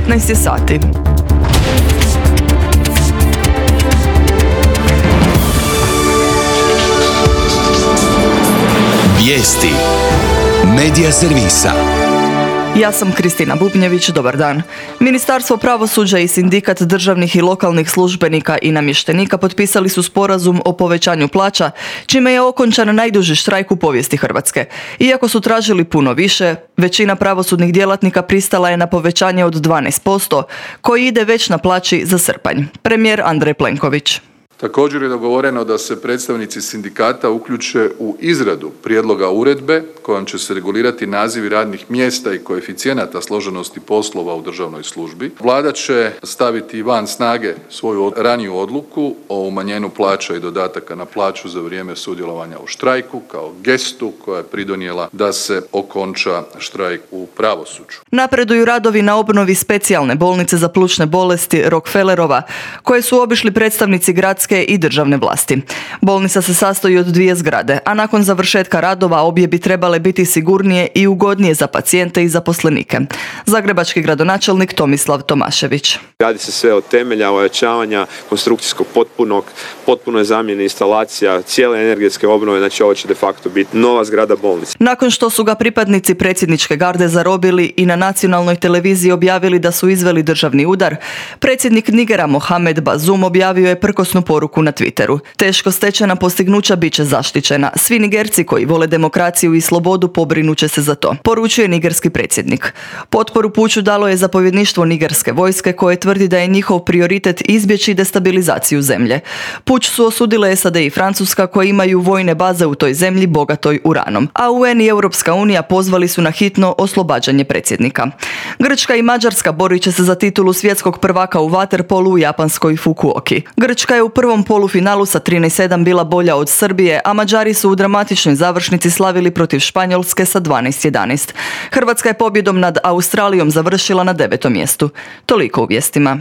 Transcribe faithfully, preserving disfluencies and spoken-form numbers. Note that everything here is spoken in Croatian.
devetnaest je sati. Vijesti Medija servisa. Ja sam Kristina Bubnjević, dobar dan. Ministarstvo pravosuđa i sindikat državnih i lokalnih službenika i namještenika potpisali su sporazum o povećanju plaća, čime je okončan najduži štrajk u povijesti Hrvatske. Iako su tražili puno više, većina pravosudnih djelatnika pristala je na povećanje od dvanaest posto, koji ide već na plaći za srpanj. Premijer Andrej Plenković. Također je dogovoreno da se predstavnici sindikata uključe u izradu prijedloga uredbe kojom će se regulirati nazivi radnih mjesta i koeficijenata složenosti poslova u državnoj službi. Vlada će staviti van snage svoju raniju odluku o umanjenju plaća i dodataka na plaću za vrijeme sudjelovanja u štrajku kao gestu koja je pridonijela da se okonča štrajk u pravosuđu. Napreduju radovi na obnovi specijalne bolnice za plućne bolesti Rockefellerova, koje su obišli predstavnici gradske i državne vlasti. Bolnica se sastoji od dvije zgrade, a nakon završetka radova obje bi trebale biti sigurnije i ugodnije za pacijente i zaposlenike. Zagrebački gradonačelnik Tomislav Tomašević. Radi se sve od temelja, ojačavanja konstrukcijskog potpunog, potpunoj zamjeni instalacija, cijele energetske obnove, znači ovo će de facto biti nova zgrada bolnice. Nakon što su ga pripadnici predsjedničke garde zarobili i na nacionalnoj televiziji objavili da su izveli državni udar, predsjednik Nigera Mohamed Bazoum objavio je prkosnu poruku na Twitteru. Teško stečena postignuća bit će zaštićena. Svi Nigerci koji vole demokraciju i slobodu pobrinut će se za to, poručuje nigerski predsjednik. Potporu puču dalo je zapovjedništvo nigerske vojske koje tvrdi da je njihov prioritet izbjeći destabilizaciju zemlje. Puč su osudile S A D i Francuska koje imaju vojne baze u toj zemlji bogatoj uranom, a U N i Europska unija pozvali su na hitno oslobađanje predsjednika. Grčka i Mađarska borit će se za titulu svjetskog prvaka u vaterpolu u japanskoj Fukuoki. Grčka je u prvom polufinalu sa trinaest sedam bila bolja od Srbije, a Mađari su u dramatičnoj završnici slavili protiv Španjolske sa dvanaest jedanaest. Hrvatska je pobjedom nad Australijom završila na devetom mjestu. Toliko u vijestima.